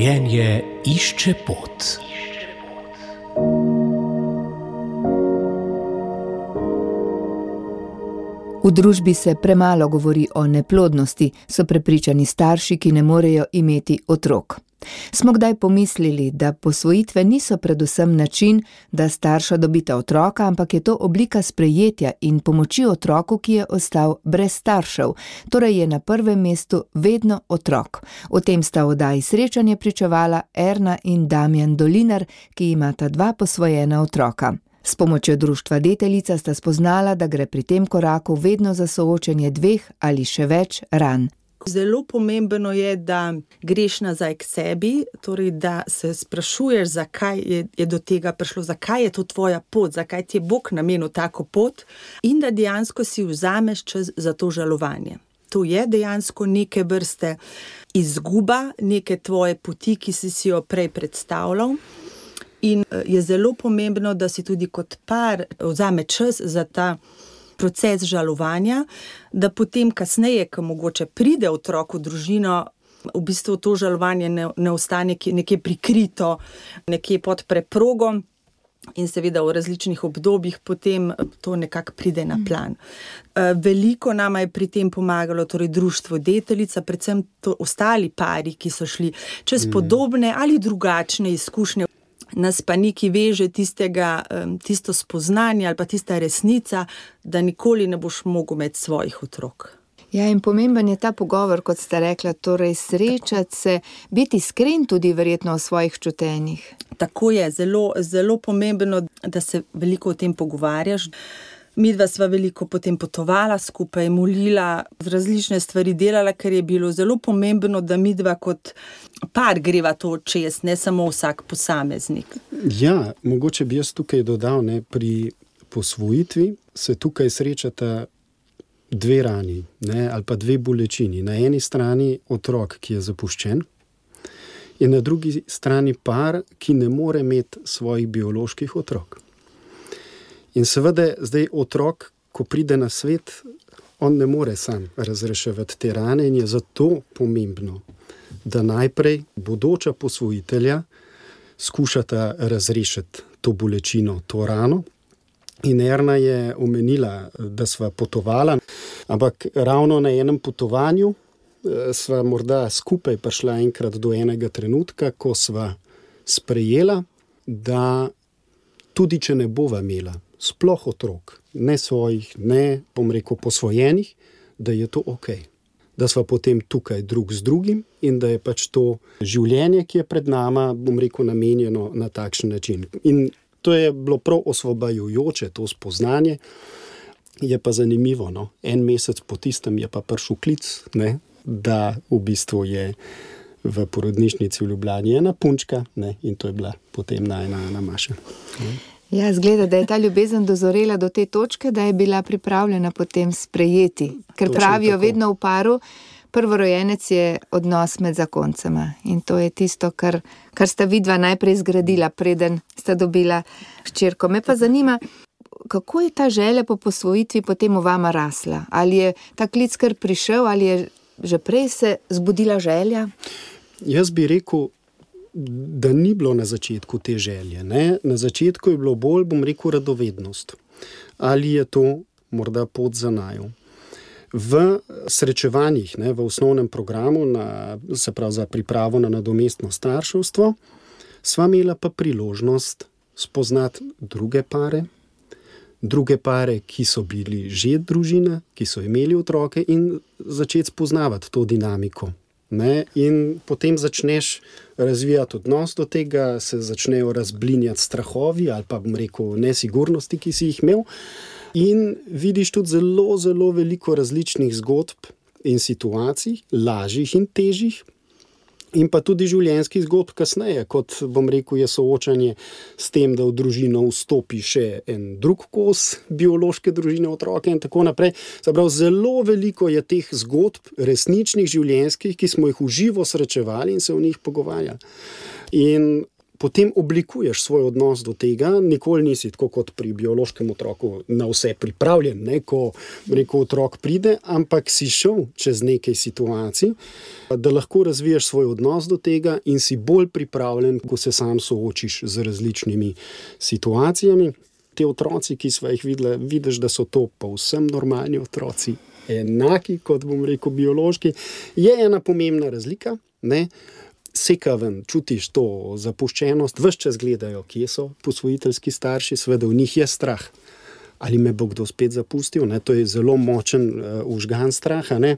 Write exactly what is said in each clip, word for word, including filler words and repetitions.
Življenje išče pot. V družbi se premalo govori o neplodnosti, so prepričani starši, ki ne morejo imeti otrok. Smo kdaj pomislili, da posvojitve niso predvsem način, da starša dobita otroka, ampak je to oblika sprejetja in pomoči otroku, ki je ostal brez staršev, torej je na prvem mestu vedno otrok. O tem sta v oddaji Srečanje pričevala Erna in Damjan Dolinar, ki imata dva posvojena otroka. S pomočjo društva Deteljica sta spoznala, da gre pri tem koraku vedno za soočenje dveh ali še več ran. Zelo pomembno je, da greš nazaj k sebi, torej da se sprašuješ, zakaj je, je do tega prišlo, zakaj je to tvoja pot, zakaj ti je Bog namenil tako pot in da dejansko si vzameš čas za to žalovanje. To je dejansko neke vrste izguba, neke tvoje poti, ki si si jo prej predstavljal. In je zelo pomembno, da si tudi kot par vzame čas za ta proces žalovanja, da potem kasneje, ko mogoče pride otrok v družino, v bistvu to žalovanje ne, ne ostane nekje prikrito, nekje pod preprogom in seveda v različnih obdobjih potem to nekako pride na plan. Veliko nama je pri tem pomagalo torej društvo Deteljica, predvsem to ostali pari, ki so šli čez podobne ali drugačne izkušnje. Nas pa neki veže tistega, tisto spoznanje ali pa tista resnica, da nikoli ne boš mogel imeti svojih otrok. Ja, in pomemben je ta pogovor, kot ste rekla, torej srečati se, biti iskren tudi verjetno o svojih čutenjih. Tako je, zelo, zelo pomembno, da se veliko o tem pogovarjaš. Midva sva veliko potem potovala skupaj, molila, različne stvari delala, ker je bilo zelo pomembno, da midva kot par greva to čez, ne samo vsak posameznik. Ja, mogoče bi jaz tukaj dodal, ne, pri posvojitvi se tukaj srečata dve rani, ne, ali pa dve bolečini. Na eni strani otrok, ki je zapuščen, in na drugi strani par, ki ne more imeti svojih bioloških otrok. In seveda zdaj otrok, ko pride na svet, on ne more sam razreševati te rane in je zato pomembno, da najprej bodoča posvojitelja skušata razrešiti to bolečino, to rano. In Erna je omenila, da sva potovala, ampak ravno na enem potovanju sva morda skupaj prišla enkrat do enega trenutka, ko sva sprejela, da tudi če ne bova imela sploh otrok, ne svojih, ne, bom rekel, posvojenih, da je to okej. Da sva potem tukaj drug z drugim in da je pač to življenje, ki je pred nama, bom rekel, namenjeno na takšen način. In to je bilo prav osvobajajoče, to spoznanje. Je pa zanimivo, no? En mesec po tistem je pa prišel klic, ne? Da v bistvu je v porodnišnici v Ljubljani ena punčka, ne? In to je bila potem najna Ana Maša. Ne? Ja, zgleda, da je ta ljubezen dozorela do te točke, da je bila pripravljena potem sprejeti. Ker Točno pravijo tako. vedno v paru, prvorojenec je odnos med zakoncema. In to je tisto, kar, kar sta vidva najprej zgradila, preden sta dobila hčerko. Me pa zanima, kako je ta želja po posvojitvi potem v vama rasla? Ali je ta klic kar prišel, ali je že prej se zbudila želja? Jaz bi rekel, da ni bilo na začetku te želje. Ne? Na začetku je bilo bolj, bom rekel, radovednost. Ali je to morda pot za naju. V srečevanjih, ne, v osnovnem programu, na, se pravi za pripravo na nadomestno starševstvo, sva imela pa priložnost spoznati druge pare, druge pare, ki so bili že družina, ki so imeli otroke in začeti spoznavati to dinamiko. Ne? In potem začneš razvijati odnos do tega, se začnejo razblinjati strahovi ali pa, bom rekel, nesigurnosti, ki si jih imel. In vidiš tudi zelo, zelo veliko različnih zgodb in situacij, lažjih in težjih, in pa tudi življenjskih zgodb kasneje, kot, bom rekel, je soočanje s tem, da v družino vstopi še en drug kos biološke družine, otroke in tako naprej. Zaprav, zelo veliko je teh zgodb, resničnih življenjskih, ki smo jih v živo srečevali in se o njih pogovarjali. In potem oblikuješ svoj odnos do tega, nikoli nisi tako kot pri biološkem otroku na vse pripravljen, ne, ko rekel otrok pride, ampak si šel čez nekaj situacij, da lahko razvijaš svoj odnos do tega in si bolj pripravljen, ko se sam soočiš z različnimi situacijami. Te otroci, ki sva jih videla, vidiš, da so to povsem normalni otroci, enaki, kot bom rekel, biološki. Je ena pomembna razlika, ne? Seka ven, čutiš to zapuščenost, ves čas gledajo, kje so posvojiteljski starši, seveda v njih je strah. Ali me bo kdo spet zapustil, ne? To je zelo močen uh, užgan straha, ne?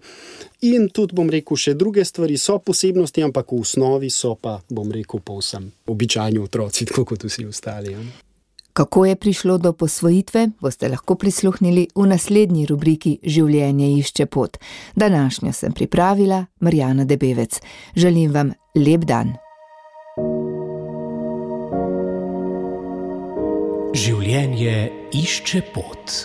In tudi, bom rekel, še druge stvari so posebnosti, ampak v osnovi so pa, bom rekel, povsem običajni otroci, tako kot vsi ostali. Ja? Kako je prišlo do posvojitve, boste lahko prisluhnili v naslednji rubriki Življenje išče pot. Današnjo sem pripravila Marjana Debevec. Želim vam lep dan. Življenje išče pot.